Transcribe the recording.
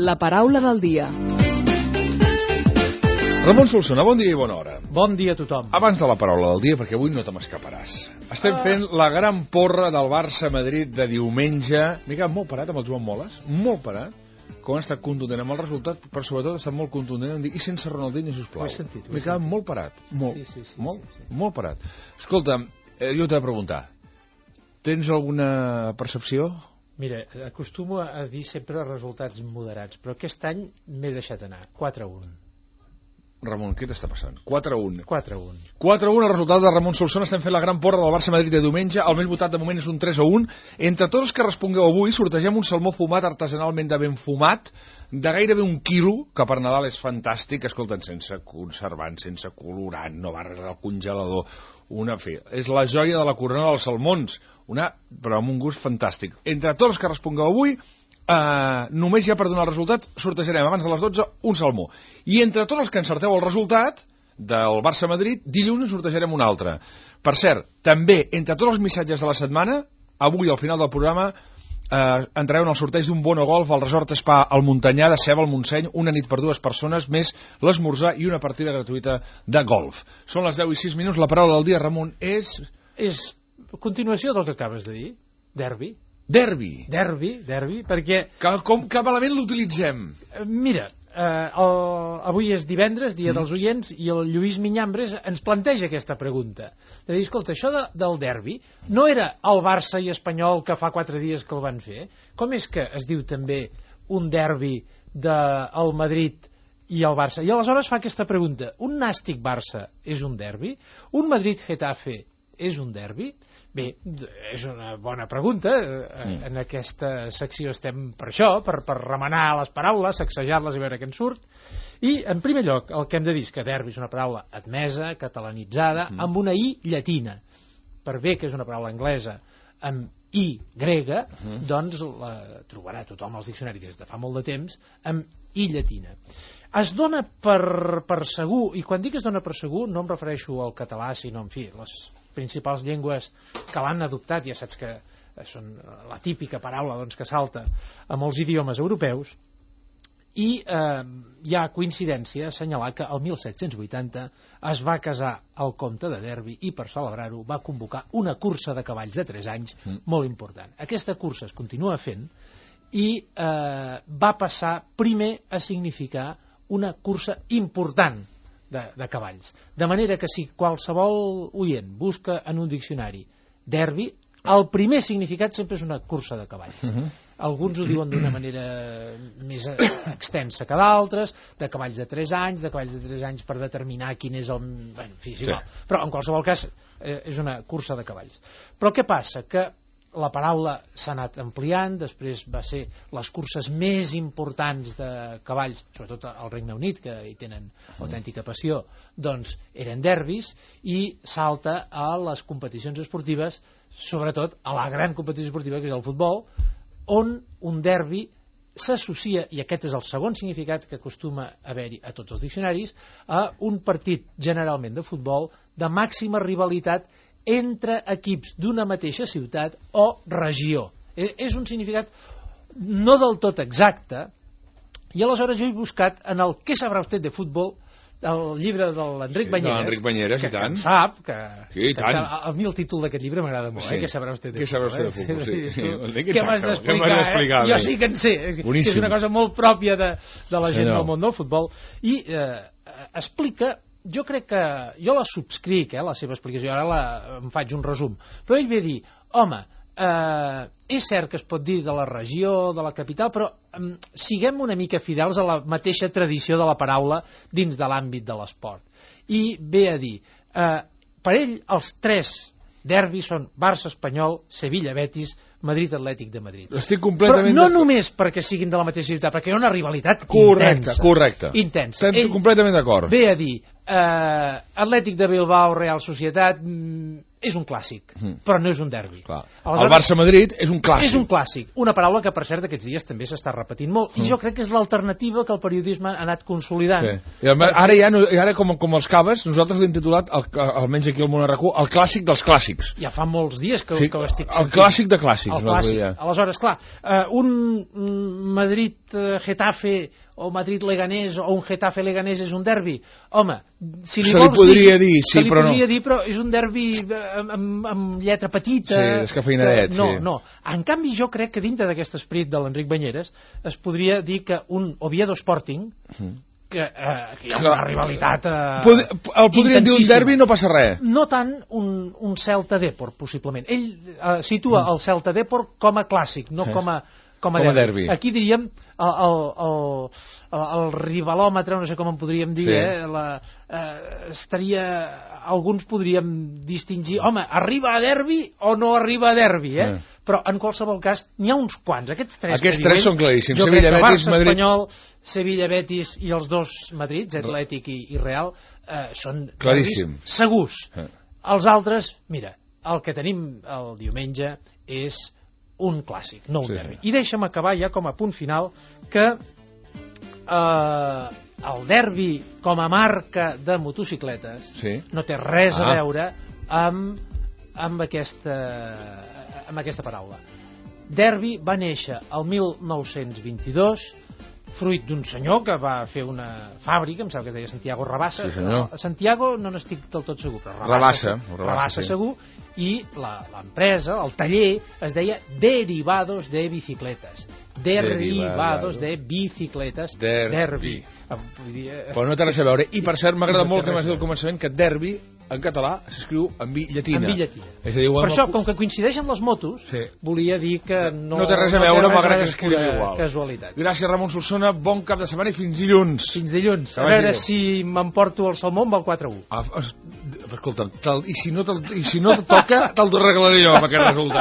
La paraula del dia. Ramon Solsona, bon dia i bona hora. Bon dia a tothom. Abans de la paraula del dia, perquè avui no te m'escaparàs. Estem fent la gran porra del Barça-Madrid de diumenge. M'he quedat molt parat amb el Joan Moles, molt parat, com ha estat contundent amb el resultat, però sobretot ha estat molt contundent en dir, i sense Ronaldinho, sisplau. M'he quedat molt parat, molt parat. Escolta, jo t'he de preguntar, tens alguna percepció? Mira, acostumo a dir sempre resultats moderats, però aquest any m'he deixat anar, 4-1. Ramon, què t'està passant? 4-1. 4-1. 4-1 el resultat de Ramon Solsona. Estem fent la gran porra del Barça-Madrid de diumenge. El més votat de moment és un 3-1. Entre tots els que respongueu avui, sortegem un salmó fumat artesanalment de ben fumat, de gairebé 1 quilo, que per Nadal és fantàstic. Escolta'n, sense conservant, sense colorant, no va res del congelador. És la joia de la corona dels salmons, però amb un gust fantàstic. Entre tots els que respongueu avui, només ja per donar el resultat sortejarem abans de les 12 un salmó, i entre tots els que encerteu el resultat del Barça-Madrid, dilluns en sortejarem un altre. Per cert, també entre tots els missatges de la setmana, avui al final del programa entrareu en el sorteig d'un bono golf al Resort Spa al Montanyà de Ceba al Montseny, una nit per 2 persones, més l'esmorzar i una partida gratuïta de golf. Són les 10:06, la paraula del dia, Ramon, és continuació del que acabes de dir, derbi. Derbi, perquè... Que malament l'utilitzem. Mira, avui és divendres, dia dels oients, i el Lluís Minyambres ens planteja aquesta pregunta. De dir, escolta, això del derbi no era el Barça i Espanyol que fa 4 dies que el van fer? Com és que es diu també un derbi del Madrid i el Barça? I aleshores fa aquesta pregunta. Un Nàstic Barça és un derbi? Un Madrid-Getafe és un derbi? Bé, és una bona pregunta. En aquesta secció estem per això, per remenar les paraules, sacsejar-les i veure què en surt. I, en primer lloc, el que hem de dir és que derbi és una paraula admesa, catalanitzada, amb una I llatina. Per bé que és una paraula anglesa amb I grega, doncs la trobarà tothom als diccionaris des de fa molt de temps, amb I llatina. Es dona per segur, i quan dic es dona per segur no em refereixo al català, sinó, en fi, les principals llengües que l'han adoptat, ja saps que són la típica paraula que salta a molts idiomes europeus, i hi ha coincidència a assenyalar que el 1780 es va casar el comte de Derby i per celebrar-ho va convocar una cursa de cavalls de 3 anys molt important. Aquesta cursa es continua fent i va passar primer a significar una cursa important de cavalls. De manera que si qualsevol oient busca en un diccionari derbi, el primer significat sempre és una cursa de cavalls. Alguns ho diuen d'una manera més extensa que d'altres, de cavalls de 3 anys, per determinar quin és el... En fi, sí, però en qualsevol cas és una cursa de cavalls. Però què passa? Que la paraula s'ha anat ampliant, després va ser les curses més importants de cavalls, sobretot al Regne Unit, que hi tenen autèntica passió, doncs eren derbis, i salta a les competicions esportives, sobretot a la gran competició esportiva que és el futbol, on un derbi s'associa, i aquest és el segon significat que acostuma a haver-hi a tots els diccionaris, a un partit generalment de futbol de màxima rivalitat entre equips d'una mateixa ciutat o regió. És un significat no del tot exacte, i aleshores jo he buscat en el Què sabrà usted de futbol, el llibre de l'Enric Banyeres, que en sap, a mi el títol d'aquest llibre m'agrada molt, Què sabrà usted de futbol. Què m'has d'explicar? Jo sí que en sé, que és una cosa molt pròpia de la gent del món del futbol, i explica. Jo crec que... Jo la subscric, la seva explicació, ara em faig un resum. Però ell ve a dir, home, és cert que es pot dir de la regió, de la capital, però siguem una mica fidels a la mateixa tradició de la paraula dins de l'àmbit de l'esport. I ve a dir, per ell els 3 derbis són Barça-Espanyol, Sevilla-Betis, Madrid-Atlètic de Madrid. Estic completament... Però no només perquè siguin de la mateixa ciutat, perquè hi ha una rivalitat intensa. Estem completament d'acord. Ve a dir, Atlètic de Bilbao, Real Societat, és un clàssic, però no és un derbi. El Barça-Madrid és un clàssic. És un clàssic, una paraula que per cert aquests dies també s'està repetint molt, i jo crec que és l'alternativa que el periodisme ha anat consolidant. Ara com els caves, nosaltres l'hem titulat, almenys aquí al Món RQ, el clàssic dels clàssics. Ja fa molts dies que ho estic sentint. El clàssic de clàssics. Aleshores, clar, un Madrid Madrid-Getafe o Madrid-Leganés o un Getafe-Leganés és un derbi? Home, si li se li vols podria dir, sí, però no. Però és un derbi amb lletra petita. Sí, descafeinadet, no, sí. No. En canvi, jo crec que dintre d'aquest esperit de l'Enric Banyeres es podria dir que un Oviedo Sporting, que hi ha una rivalitat el podríem dir un derbi, no passa res. No tant un Celta Depor, possiblement. Ell situa el Celta Depor com a clàssic, no com a derbi. Aquí diríem el rivalòmetre, no sé com en podríem dir, estaria... Alguns podríem distingir, home, arriba a derbi o no arriba a derbi, però en qualsevol cas n'hi ha uns quants. Aquests tres són claríssims. Jo crec que Barça, Espanyol, Sevilla, Betis i els dos Madrids, Atlètic i Real, són claríssims, segurs. Els altres, mira, el que tenim el diumenge és un clàssic, no un derbi. I deixa'm acabar ja com a punt final que el derbi com a marca de motocicletes no té res a veure amb aquesta paraula. Derbi va néixer el 1922 fruit d'un senyor que va fer una fàbrica, em sembla que es deia Santiago Rabassa. Santiago no n'estic del tot segur, però Rabassa segur, i l'empresa, el taller, es deia Derivados de Bicicletas. Derivados de Bicicletas. Derbi. Però no té res a veure. I per cert, m'agrada molt que m'has dit al començament que derbi en català s'escriu en bi llatina. En bi llatina. És a dir, per això, com que coincideix amb les motos, volia dir que no té res a veure, malgrat que s'escriu igual. Casualitat. Gràcies, Ramon Solsona. Bon cap de setmana i fins dilluns. Fins dilluns. A veure si m'emporto el salmó amb el 4-1. Escolta'm, i si no te toca, te'l arreglaré jo amb aquest resultat.